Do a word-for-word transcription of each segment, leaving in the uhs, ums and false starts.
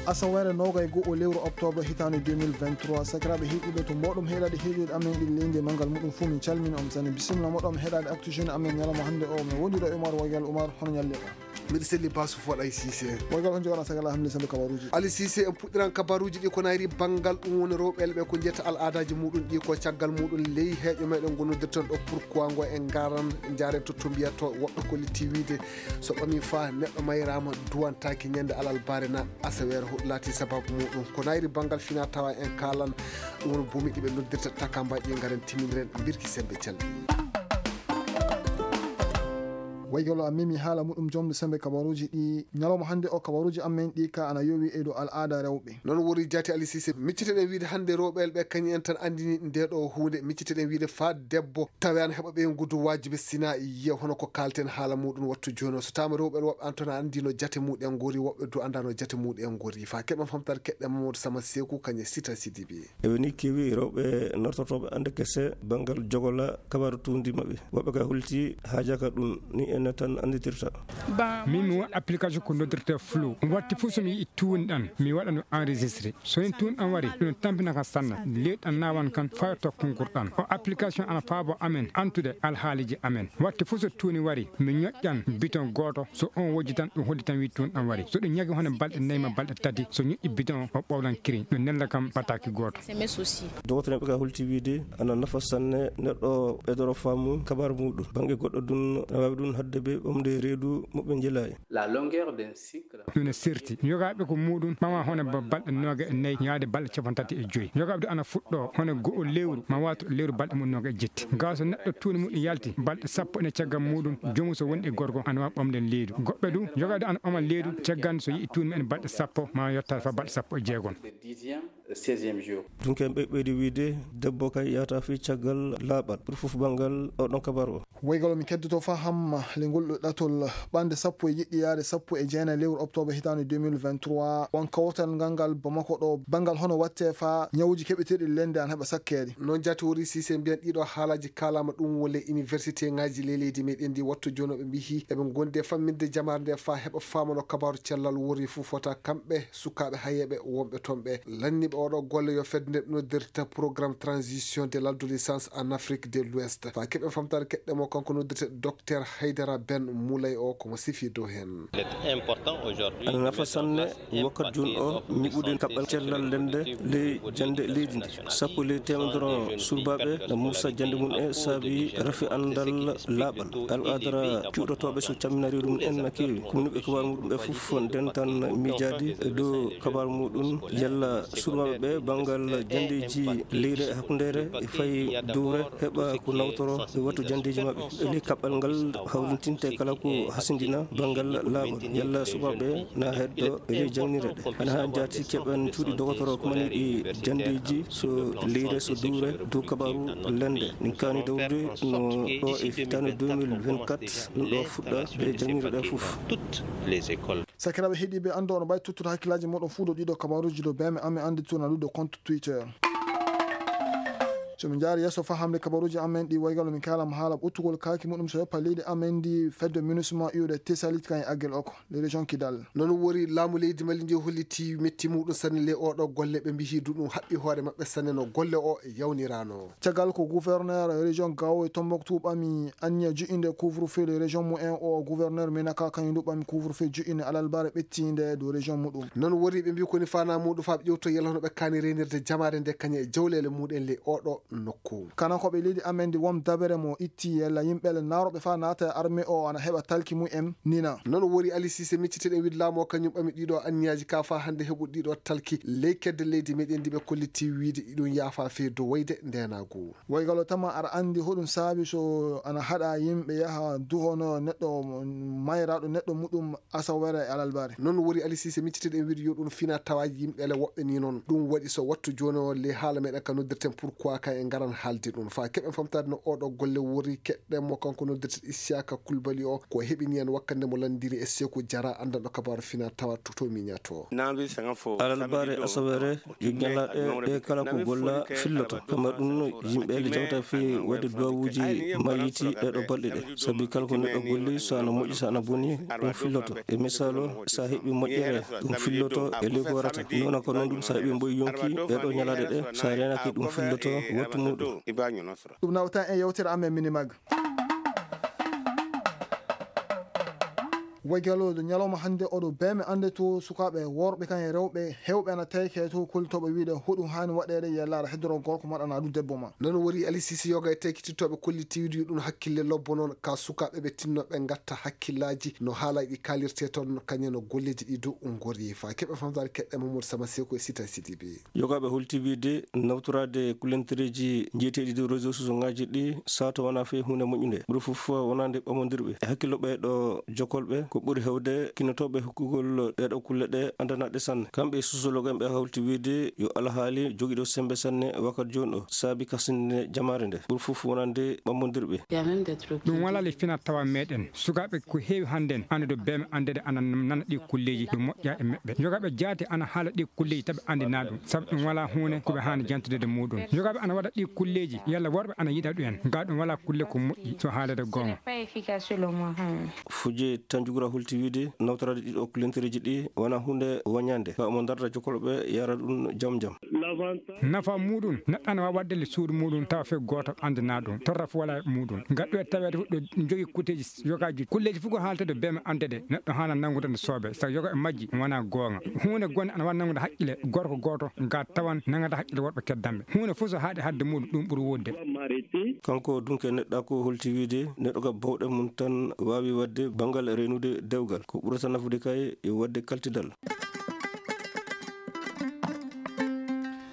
Asaweere noogay go'o lewru oktoobar hitaande deux mille vingt-trois, sakiraaɓe heɗiiɓe, to mbooɗom heɗaade heɗiiɗe amen ɗi leydi e manngal muɗum fuu, min calmini on sanne. Bisimilla moɗon heɗaade Actu Jeune amen ñalawma hannde o. Min wondiiɗo e Umar Waygal. Umar, hono ñalli ka? Miɗo selli Basu Foɗay Siise. Waygal, on jogaɗaa sagal alhamdulillah, sabi kabaruuji. Ali Siise, en puɗɗiran kabaruuji ɗi ko nayri banngal ɗum woni rewɓe ɓe ko njetta al'aadaaji muɗum ɗi ko caggal muɗum ley heeƴo meɗen ngonnodirten ɗo. Pourquoi ngo en ngaran njaren to, to mbiyatoo woɓɓe ko litti wiide so ɓami faa neɗɗo mayraama duwantaaki ñande alarbaare na asaweere, hoɗum laati sababu muɗum. Ko nayri banngal fina tawa en kaalan ɗum woni buumi ɗi ɓe noddirta takamba ɗi ngaren timminiren mbirki sembe calɗi. Waygalo a memi haala muɗum jomde sembe kabaruuji ɗi ñalawma hannde o. Kabaruuji amen ɗi ka ana yowi e dow al'aada rewɓe. Noon woni jaati Ali Siise, micciteɗen wiide hannde rewɓe ɓe kañum en tan anndini nde ɗo huunde. Micciteɗen wiide faa debbo tawe ana heɓa ɓeyngudu waajibi sina yiya hono ko kaalten haala muɗum wattu jooni o. So taama rewɓe woɓɓe an tan anndino jate muɗum en ngori, woɓɓe du anndano jate muɗum en ngori. Faa keɓen famtaade keɗɗen Mamadou Sama Seeku kañum e Sita Sidibi. Eɓe nii keewi rewɓe nortotooɓe annde kese banngal jogola kabaaru tuundi maɓɓe. Woɓɓe ka holti haajaka ɗum ni enen tan annditirta. Min mi won application ko noddirta Flow. Watti fof so mi yiɗi tuundi ɗan, mi waɗa no enregistré. So ni tuundi ɗan wari, ɗum tampina kan sanna. Leydi ɗan naawan kan faa to konkur ɗan. O application ana faabo amen antude alhaaliji amen. Watti fof so tuundi wari, mi ñoƴƴan biton gooto. So on wojji tan, ɗum holli tan wi tuundi ɗan wari. So ɗum ñagi hono balɗe nayi ma balɗe tati, so ñoƴƴi biton o, o ɓowlan kiriñ. Ɗum nella kam bataki gooto. Dogotoreeɓe ka holti wiide ana nafa sanne neɗɗo ɓeydoro faamu kabaaru muɗum. Bannge goɗɗo ɗum ana waawi ɗum haɗde ɓe ɓamde reedu mo ɓe njelaay. La longueur d'un cycle. Ɗum ne serti. Yogaaɓe ko muɗum ɓama hono ba-, balɗe nooga e nayi yaade balɗe capanɗe tati e joy. Yogaaɓe ɗum ana fuɗɗo hono go'o lewru ma wato lewru balɗe mum nooga e jetti. Gaa so neɗɗo tuundi muɗum yalti balɗe sappo ene caggal muɗum, joomum so woni e gorko ana waawi ɓamde leydu. Goɗɓe du, yogaaɓe ɗum ana ɓama leydu caggal so yi'i tuundi mumen balɗe sappo ma yottaa faa balɗe sappo e jeegom. Seizième jour. Ɗum ken ɓe ɓeydi wiide debbo kay yahata fii caggal laaɓal. Ɓuri fof banngal oɗon kabaru o. Woygal o min keddoto faa hamma le ngol ɗo ɗatol ɓande sappo e jeɗɗi yaade sappo e jeenayi lewru oktoobar hitaande deux mille vingt-trois. Won kawtal ngal ngal Bamako ɗo banngal hono watte faa ñawuuji keɓeteeɗi lende ana heɓa sakkeede. Noon jaati wori Siise mbiyan ɗiɗo haalaaji kaalaama ɗum wole iniwersiteŋaaji ley leydi meɗen ndi wattu jooni o ɓe mbihi eɓe ngondi e fammin'de jamaare nde faa heɓa faamano kabaaru cellal wori fof fota kamɓe sukaaɓe hayeeɓe wonɓe toon ɓe. Lanniiɓe oɗo golle yo fedde nde noddirta Programme Transition de l'Adolescence en Afrique de l'Ouest. Faa keɓen famtaade keɗɗe mo kanko noddirte Docteur Haydara Ben Moulay o ko mo sifi dow heen. Ana nafa sanne wakkati jooni o ñiɓude kaɓɓal cellal lende ley jannde leydi ndi. Sappo ley teemedere surbaaɓe na muusa jannde mum en saabi rafi anndal laaɓal. Alqadara cuuɗotooɓe so camminari ɗum en na keewi. Kumnuɓe kabaaru muɗum ɓe fof ndentan miijaade e dow kabaaru muɗum yalla surbaaɓe ɓe banngal janndeeji leyre e hakkundeere e fayi duure heɓa ko nawtoro e wattu janndeeji maɓɓe. E ley kaɓɓal ngal hawrintinte kala ko hasindina banngal laaɓal yalla surbaaɓe na heddo e ley jangnirde ɗe. Ana haa jaati keɓen cuuɗi dogotoro kumaniiɗi janndeeji so leyre so duure dow kabaaru lende. Min kaani dawrude no ɗo e hitaande deux mille vingt-quatre ɗum ɗo fuɗɗa e janngirde ɗe fof. Sakiraaɓe heɗiiɓe, anndu oɗon mbaawi tottude hakkillaaji moɗon fuu dow ɗiɗo kabaruuji dow beme amen anndi tournalude compte Twitter. So min njaari yeeso faa hamde kabaruuji amen ɗi woygal min kaalama haala ɓottugol kaaki muɗum so yoppa leydi amen ndi fedde minusma iwde tesalit kan e aggel oko. Les régions Kidal. Noon wori laamu leydi Mali ndi holliti metti muɗum sanne ley oɗo golle ɓe mbihi du ɗum haɓɓi hoore maɓɓe sanne no golle o yawnirano. Caggal ko gouverneur région Gao e Tombouctou ɓami anniya ju'inde couvre-feu le région mumen o gouverneur Menaka kañum du ɓami couvre-feu ju'inde alalbare ɓettiinde dow région muɗum. Noon wori ɓe mbi koni fana muɗum faa ɓe ƴewto yalla hono ɓe kaani reenirde jamaare nde kañum e jawleele muɗum ley oɗo nokku. Kanankooɓe leydi amen ndi won dabere mo itti yalla yimɓe le naarooɓe faa naata e armée o ana heɓa talki mum en nina. Noon wori Ali Siise micciteɗen wiide laamu o kañum ɓami ɗiɗo anniyaaji ka faa hannde heɓude ɗiɗo talki ley kedde leydi meɗen ndi ɓe kolliti wiide iɗum yaafa fee dow wayde ndeenaagu. Woygal o tama aɗa anndi hoɗum saabi so ana haɗa yimɓe yaha duhono neɗɗo mayraaɗo neɗɗo muɗum Asawere e alalbare. Noon wori Ali Siise micciteɗen wiide yo ɗum fina tawa yimɓe le woɓɓe ni noon. Ɗum waɗi so wattu jooni o le haala meɗen ka noddirten pourquoi kay. En ngaran haalde ɗum. Faa keɓen famtaade no ooɗoo golle wori, keɗɗen mo, kanko noddirtee Isiyaaka Kulbali o, ko heɓini en wakkati nde mo lanndiri e Seeku Jara, anndanɗo kabaaru finaa tawa to, to miñato. Alarbaare, asaweere, yo ñalaaɗe ɗee kala ko golla filloto. Kamma ɗum, yimɓe ene jawta fii waɗde duwawuuji mayyiti ɗee ɗoo balɗe ɗee. Sabi kala ko neɗɗo golli, so ana moƴƴi, so ana boni, ɗum filloto. E misaalu, so a heɓii moƴƴere, ɗum filloto e ley ko warata. Noon ko noon ɗum, so a heɓii mboy yonki ɗee ɗoo ñalaaɗe ɗee, so a reenaaki, ɗum filloto wattu muuɗum. Ɗum nawta e yewtere amen Minimag. Waygaloojo ñalawma hannde oɗo beeme annde to sukaaɓe worɓe kan e rewɓe heewɓe ana tayke to kollitooɓe wiide hoɗum haani waɗeede, yalla aɗa heddoro gorko maɗa naa ɗum debbo ma. Noon wori Alisisi yoga e taykitittooɓe kollitiiɗi ɗum hakkille lobbo noon ka sukaaɓe ɓe tinnooɓe ngatta hakkillaaji no haalaaji ɗi kaalirtee toon, kañum no golleeji ɗi dow ngori. Faa keɓe famtaade keɗɗe Mamadou Sama Seeku e Sita Sidibe. Yogaaɓe holti wiide nawtoraade kulentireeji njeyeteeɗi dow réseau sociaux ŋaaji ɗi sato wonaa fey huunde moƴƴunde. Ɓuri fof wonande ɓamondirɓe e hakkillo ɓee ɗoo jokolɓe, ko ɓuri heewde kinnotooɓe hokkugol ɗee ɗoo kulle ɗee anndanaɗe sanne. Kamɓe e sosiologue en ɓe hawti wiide yo alhaali jogiiɗo semmbe sanne wakkati jooni ɗoo saabi kasinde jamaare nde. Ɓuri fof wonande ɓamondirɓe. Ɗum walaa le finaa tawa meɗen. Sukaaɓe ko heewi hannden anndude beeme anndeede ana nana ɗii kulleeji ɗum moƴƴaa e meɓɓe. Yogaaɓe jaati ana haala ɗii kulleeji taɓe anndinaa ɗum. Sabu ɗum walaa huunde ko ɓe haani jantude muuɗum. Yogaaɓe ana waɗa ɗii kulleeji, yalla worɓe ana yiɗa ɗum en. Gaa ɗum walaa kulle ko moƴƴi, so haaleede goonga. Fuje Tanjugura holti wiide nawtoraade ɗii ɗoo kulentireeji ɗii wonaa huunde wañaande. Ka omo darda jokolɓe yara ɗum jam jam. Nafa muuɗum, neɗɗo ana waawi waɗde le suudu muuɗum tawa fey gooto anndinaa ɗum. Torra fof walaa e muuɗum. Ngal ɗoo e taweede fof ɗo jogii kuuteeji yogaaji. Kulleeji fof ko haalteede beeme anndeede. Neɗɗo haana nanngude no soobee. Sabu yoga e majji wonaa goonga. Huunde gonde ana waawi nanngude haqqille gorko gooto, gaa tawan nanngata haqqille worɓe keddanɓe. Huunde fof so haaɗi haɗde muuɗum, ɗum ɓuri woodde. Kanko dunke neɗɗaaku holti wiide neɗɗo ka bawɗe mum tan waawi waɗde banngal reenude dewgal. Ko ɓurata nafude kay yo waɗde kaltidal.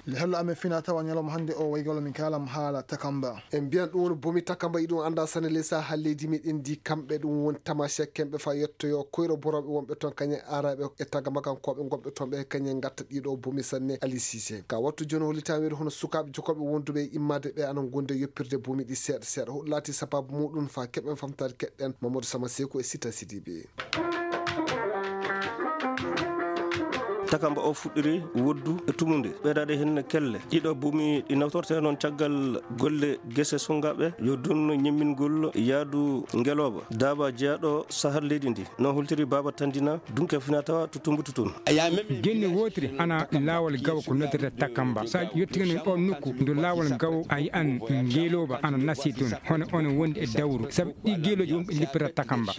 Le hello amen fina tawa ñalawma hannde o waygalo min kaalam haala takamba. En mbiyan ɗum woni bomi takamba, iɗum annda sanne ley saha leydi meɗen ndi, kamɓe ɗum woni tamasek kemɓe fa yettoyo koyro boroɓe wonɓe toon kañe araɓe e tagama kankooɓe gonɓe toon ɓe kañe ngatta ɗiɗo bomi sanne. Ali Sise ka wattu jooni hollitaama wiyde hono sukaaɓe jokooɓe wonduɓe e immaade ɓe ana ngondi e yoppirde bomi ɗi seeɗa seeɗa. Hoɗum laati sababu muɗum fa keɓen famtaade keɗɗen Mamadou Sama Seeku e Sita Sidibe. Takamba o fuɗɗiri woddu e tumunde, ɓeydaade heen kelle. Ɗiɗo buumi ɗi nawtortee noon caggal golle gese sonngaɓe, yo dunno ñemmingol yaadu ngelooba, daaba jeyaaɗo sahar leydi ndi. No holtiri Baaba Tandina, dunke fina tawa to Tumbuttu toon. Genni wootiri ana laawol gawo ko noddirta Takamba. So a yettii no ɗoon nokku, ndu laawol gawo a yi'an ngelooba ana nasi toon, hono on wondi e dawru, sabu ɗi gelooji wonɓe lippata Takamba.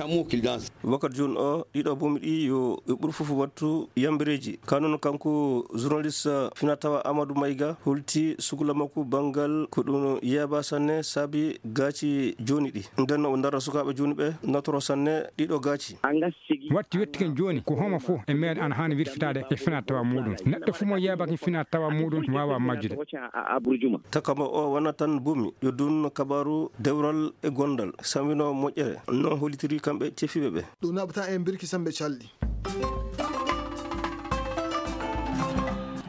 Wakkati jooni o, ɗiɗo bomi ɗi yo ɓe ɓur fof wattu yambereeji. Ka noon kanko journaliste fina tawa Amadou Mayga holti sukula makko banngal ko ɗum yeeba sanne saabi gaaci jooni ɗi. Nden o ndara sukaaɓe jooni ɓe natoro sanne ɗiɗo gaaci. Wattu yettiken jooni ko homo fof e meeɗen ana haani wirfitaade e fina tawa muɗum. Neɗɗo fof mo yeebaki fina tawa muɗum waawa majjude. Takamba o wona tan bomi, yo dun kabaaru dewral e gondal, samino moƴƴere. Non hollitiri kamɓe cefiiɓe ɓe. Ɗum naɓata en birki sembe calɗi.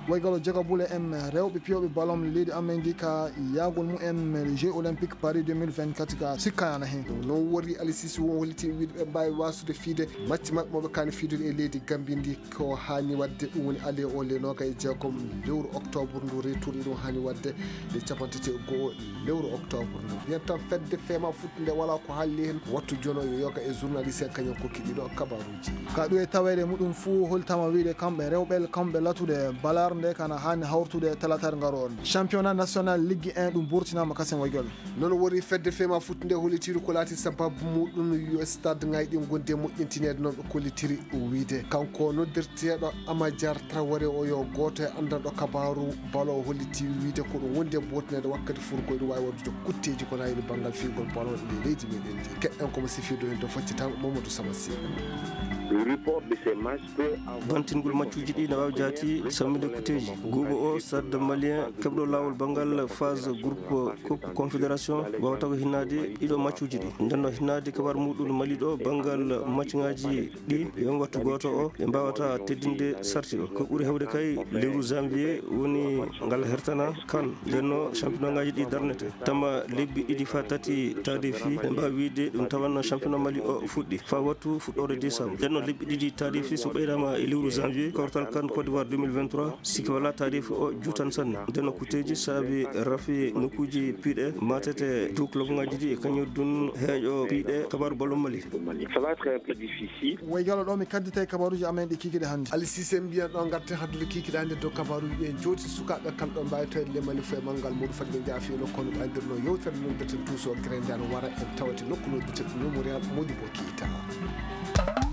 Waygalo joga bule en rewɓe piyooɓe ballon leydi amen ndi ka yaagol mumen jeux olympique Paris deux mille vingt-quatre ka sikkaana hen. Non wori Aliou Cissé won holliti wiide ɓe mbaawi waasude fiide macci maɓɓe mo ɓe kaani fiidude e leydi Gambie ndi. Ko haani waɗde ɗum woni aller o le noogay e jeegom lewru octobre ndu, retour iɗum haani waɗde nde capantati e go'o lewru octobre ndu. Mbiyen tan fedde fema fuɗɗunde wala ko halli hen. Wattu jono yo yoga e journaliste en kañum kokki ɗiɗo kabaruji. Ka ɗum e taweede muɗum fuu holtama wiide kamɓe rewɓe kamɓe latude balar nde kana haani hawrtude talatar ngaroon. Championnat national Ligue un ɗum burtinama kasen waygol. Non woni fedde fema fuɗɗunde hollitiiɗo ko laati sababu muɗum yo stade ŋayɗi gonde moƴƴintineede non ɓe kollitiri wiide. Kanko noddirteeɗo Amajar Traoré o yo gooto e anndanɗo kabaaru balo o hollitii wiide ko ɗum wondi e bootineede wakkati furgo ene waawi waɗude kutteeji ko naayiri banngal fiigol balo e leydi meɗen ndi. Keɗɗen komo sifiido en to faccitango Mamadou Sama Sy. Bantingol maccuuji ɗi na waawi jaati sammude ko Teji guuɓo o, Stade Malien keɓɗo laawol banngal phase groupe Coupe Confédération waawata ko hinnaade ɗiɗo maccuuji ɗi. Nden no hinnaade kabaaru muuɗum Mali ɗo banngal maccuŋaaji ɗi e on wattu gooto o ɓe mbaawata teddinde sarti o. Ko ɓuri heewde kay lewru janvier woni ngal hertana kan. Nden no championnat ŋaaji ɗi darnete. Tama lebbi ɗiɗi faa tati taade fii ɓe mbaawi wiide ɗum tawanno championnat Mali o fuɗɗi faa wattu fuɗɗoore décembre. Nden no lebbi ɗiɗi taade fii so ɓeydaama e lewru janvier kawtal kan Côte d'Ivoire deux mille vingt-trois. Sikke walaa taariifu o juutan sanne. Nden no kuteeji saabi rafi nokkuuji piiɗe maatete dow klobŋaaji ɗi e kañum dun heeƴo piiɗe kabaaru ballon Mali. Ça va être un peu difficile. Woy galo ɗo mi kaddita e kabaaruuji amen ɗi kiikiɗe hannde. Ali Sise mbiyan ɗo ngarten haddude kiikiɗe hannde dow kabaaruuji ɗi en jooti sukaaɓe kan ɗo mbaawi tawde le Mali fof e manngal muuɗum fadde ɓe njaha fii nokku kono ɓe anndirno yewtere noddirten tuuso grendano wara en tawate nokku noddirten Memorial Modibo Keita.